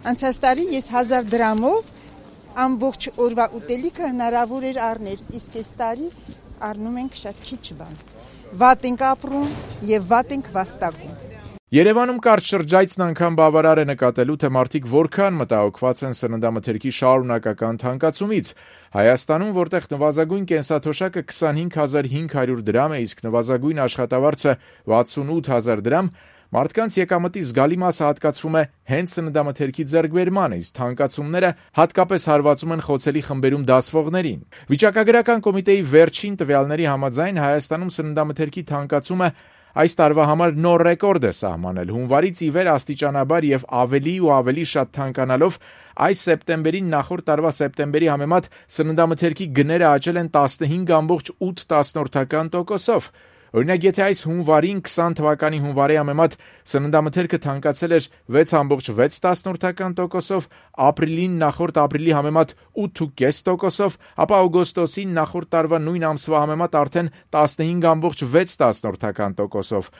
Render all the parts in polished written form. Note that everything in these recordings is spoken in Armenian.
Անցած տարի ես 1000 դրամով ամբողջ օրվա ուտելիքը հնարավոր էր առնել, իսկ այս տարի առնում ենք շատ քիչ բան։ Վատ ենք ապրում եւ վատ ենք վաստակում։ Երևանում կարճ շրջայցն անգամ բավարար է նկատելու, թե մարդիկ որքան մտահոգված են սննդամթերքի շարունակական թանկացումից։ Հայաստանում, որտեղ նվազագույն կենսաթոշակը 25500 դրամ է, իսկ նվազագույն աշխատավարձը 68000 դրամ, մարդկանց եկամտի զգալի մասը հատկացվում է հենց սննդամթերքի ձեռքբերմանը, իսկ թանկացումները հատկապես հարվածում են խոցելի խմբերում դասվողներին։ Վիճակագրական կոմիտեի վերջին տվյալների համաձայն Հայաստանում սննդամթերքի թանկացումը այս տարվա համար նոր ռեկորդ է սահմանել։ Հունվարից ի վեր աստիճանաբար եւ ավելի ու ավելի շատ թանկանալով այս սեպտեմբերին նախորդ տարվա սեպտեմբերի համեմատ սննդամթերքի գները աճել են 15.8%-ով։ Օրինակ, եթե այս հունվարին 20 թվականի հունվարի համեմատ սննդամթերքը թանկացել էր 6.6%-ով, ապրիլին նախորդ ապրիլի համեմատ 8.5%-ով, ապա օգոստոսին նախորդ տարվա նույն ամսվա համեմատ արդեն 15.6%-ով։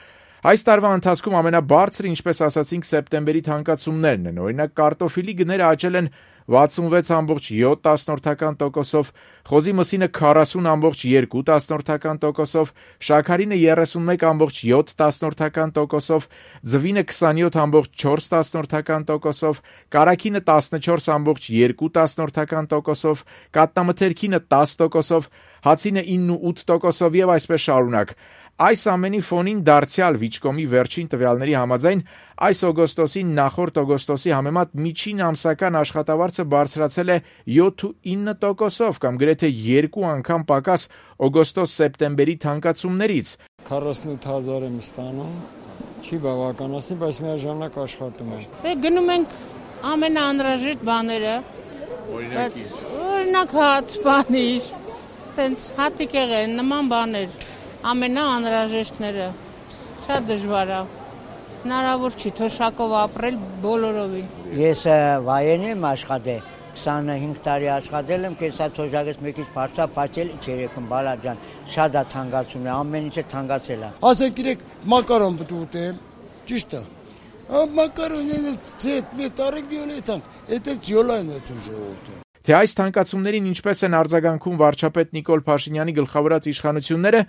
Այս տարվա ընթացքում ամենաբարձր, ինչպես ասացինք, սեպտեմբերի թանկացումներն են։ Օրինակ, կարտոֆիլի գները աճել են 66.7%-ով, խոզի մսինը 40.2%-ով, շաքարինը 31.7%-ով, ձվինը 27.4%-ով, կարագինը 14.2%-ով, կատնամթերքինը 10%-ով, հացինը 9.8%-ով եւ այսպես շարունակ։ Այս ամենի ֆոնին դարձյալ Վիճկոմի վերջին տվյալների համաձայն այս օգոստոսին նախորդ օգոստոսի համեմատ միջին ամսական աշխատավարձը բարձրացել է 7.9%-ով կամ գրեթե 2 անգամ պակաս օգոստոս-սեպտեմբերի թանկացումներից։ 48000 եմ ստանում, չի բավականացնի, բայց միաժամանակ աշխատում եմ։ Գնում ենք ամենաանհրաժեշտ բաները։ Օրինակ հաց, բանիր, տենց հատիկեղ են, նման բաներ, ամենաանհրաժեշտները։ Շատ դժվար է։ Հնարավոր չի թոշակով ապրել բոլորովին։ Ես վայրենի եմ աշխատել, 25 տարի աշխատել եմ, կենսաթոշակից մի քիչ բարձրացել, երեքում բալաջան, շատ է թանկացում է, ամեն ինչը թանկացել է։ Ասեք իրեք մակարոն պետք ուտեմ, ճիշտ է։ Մակարոնը ցետ մետարիկ յոլետան, էդ յոլան է դու ժողովուրդ։ Թե այս թանկացումներին ինչպես են արձագանքում վարչապետ Նիկոլ Փաշինյանի գլխավորած իշխանությունները,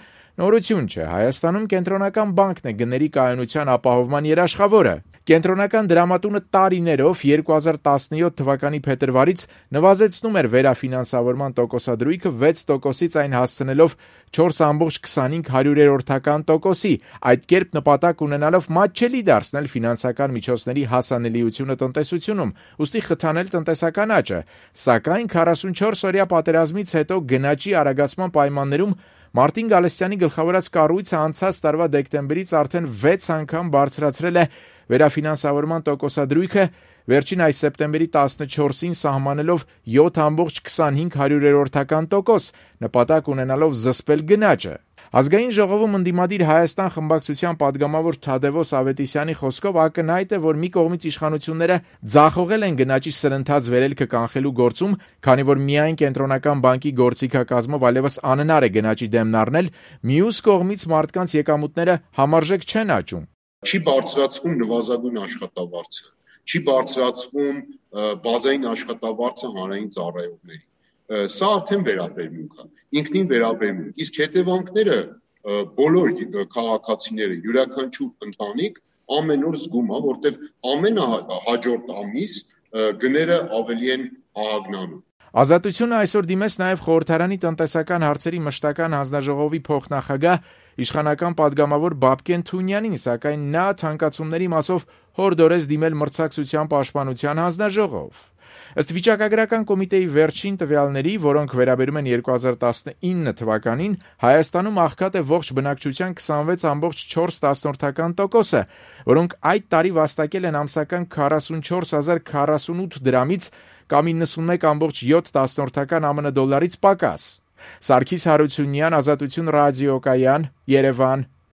նորություն չէ։ Հայաստանում կենտրոնական բանկն է գների կայունության ապահովման երաշխավորը։ Կենտրոնական դրամատունը տարիներով 2017 թվականի փետրվարից նվազեցնում էր վերաֆինանսավորման տոկոսադրույքը 6%-ից այն հասցնելով 4.25%-ի, այդ կերպ նպատակ ունենալով մատչելի դարձնել ֆինանսական միջոցների հասանելիությունը տնտեսությունում, ուստի խթանել տնտեսական աճը, սակայն 44-օրյա պատերազմից հետո գնաճի արագացման պայմաններում Մարտին Գալստյանի գլխավորած կառույցը անցած տարվա դեկտեմբերից արդեն 6 անգամ բարձրացրել է վերաֆինանսավորման տոկոսադրույքը, վերջին այս սեպտեմբերի 14-ին սահմանելով 7.25%, նպատակ ունենալով զսպել գնաճը։ Ազգային ժողովում ընդդիմադիր Հայաստան խմբակցության պատգամավոր Թադևոս Ավետիսյանի խոսքով ակնհայտ է, որ մի կողմից իշխանությունները ձախողել են գնաճի սրընթաց վերելքը կանխելու գործում, քանի որ միայն կենտրոնական բանկի գործիքակազմով այլևս անհնար է գնաճի դեմն առնել, մյուս կողմից մարդկանց եկամուտները համարժեք չեն աճում։ Չի բարձրացվում նվազագույն աշխատավարձը, չի բարձրացվում բազային աշխատավարձը հանրային ծառայողների։ Սա արդեն վերաբերմունք է, ինքնին վերաբերմունք, իսկ հետևանքները բոլոր քաղաքացիները, յուրաքանչյուր ընտանիք ամեն օր զգում է, որտեղ ամենահաջորդ ամիս գները ավելի են ահագնանում։ Ազատությունը այսօր դիմեց նաև խորհրդարանի տնտեսական հարցերի մշտական հանձնաժողովի փոխնախագահ իշխանական պատգամավոր Բաբկեն Թունյանին, սակայն նա թանկացումների մասով հորդորեց դիմել մրցակցության պաշտպանության հանձնաժողով։ Ըստ վիճակագրական կոմիտեի վերջին տվյալների, որոնք վերաբերում են 2019 թվականին, Հայաստանում աղքատ է ողջ բնակչության 26.4%-ը, որոնք այդ տարի վաստակել են ամսական 44048 դրամից կամ 91.7 ԱՄՆ դոլարից պակաս։ Սարգիս Հարությունյան, Ազատություն ռադիոկայան, Երևան։